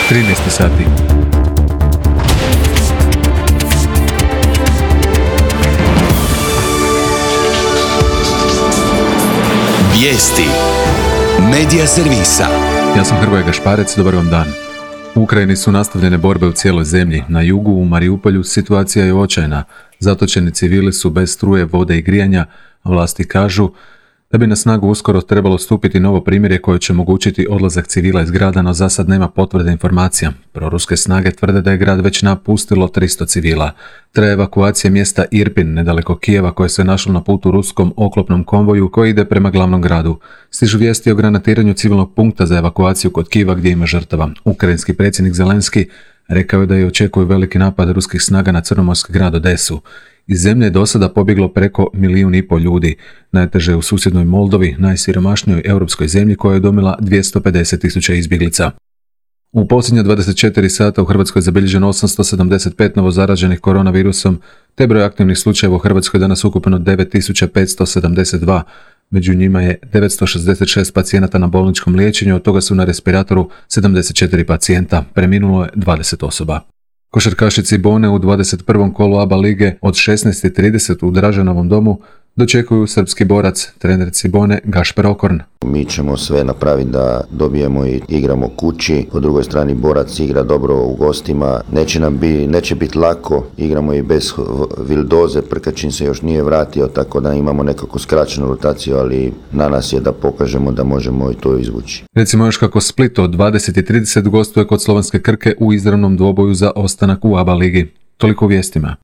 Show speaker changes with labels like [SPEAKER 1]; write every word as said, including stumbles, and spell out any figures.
[SPEAKER 1] trinaest sati.
[SPEAKER 2] Vijesti Medija servisa.
[SPEAKER 1] Ja sam Hrvoje Gašparec, dobar vam dan. U Ukrajini su nastavljene borbe u cijeloj zemlji. Na jugu, u Mariupolju, situacija je očajna. Zatočeni civili su bez struje, vode i grijanja, a vlasti kažu da bi na snagu uskoro trebalo stupiti novo primirje koje će omogućiti odlazak civila iz grada, no za sad nema potvrde informacija. Proruske snage tvrde da je grad već napustilo tristo civila. Traje evakuacija mjesta Irpin, nedaleko Kijeva, koje se našlo na putu ruskom oklopnom konvoju koji ide prema glavnom gradu. Stižu vijesti o granatiranju civilnog punkta za evakuaciju kod Kijeva gdje ima žrtava. Ukrajinski predsjednik Zelenski rekao je da je očekuju veliki napad ruskih snaga na crnomorski grad Odesu. Iz zemlje je do sada pobjeglo preko milijun i pol ljudi. Najteže je u susjednoj Moldovi, najsiromašnijoj europskoj zemlji koja je domila dvjesto pedeset tisuća izbjeglica. U posljednja dvadeset četiri sata u Hrvatskoj je zabilježeno osamsto sedamdeset pet novozaraženih koronavirusom, te broj aktivnih slučajeva u Hrvatskoj danas ukupno devet tisuća petsto sedamdeset dva. Među njima je devetsto šezdeset šest pacijenata na bolničkom liječenju, od toga su na respiratoru sedamdeset četiri pacijenta, preminulo je dvadeset osoba. Košarkaši Cibone u dvadeset prvom kolu A B A lige od šesnaest i trideset u Draženovom domu dočekuju srpski borac, trener Cibone Gašper Okorn.
[SPEAKER 3] Mi ćemo sve napraviti da dobijemo i igramo kući. Po drugoj strani borac igra dobro u gostima. Neće nam bi, neće biti lako. Igramo i bez Vildoze, Prkačin se još nije vratio, tako da imamo nekako skraćenu rotaciju, ali na nas je da pokažemo da možemo i to izvući.
[SPEAKER 1] Recimo još kako Split od dvadeset i trideset gostuje kod slovenske Krke u izravnom dvoboju za ostanak u A B A ligi. Toliko u vijestima.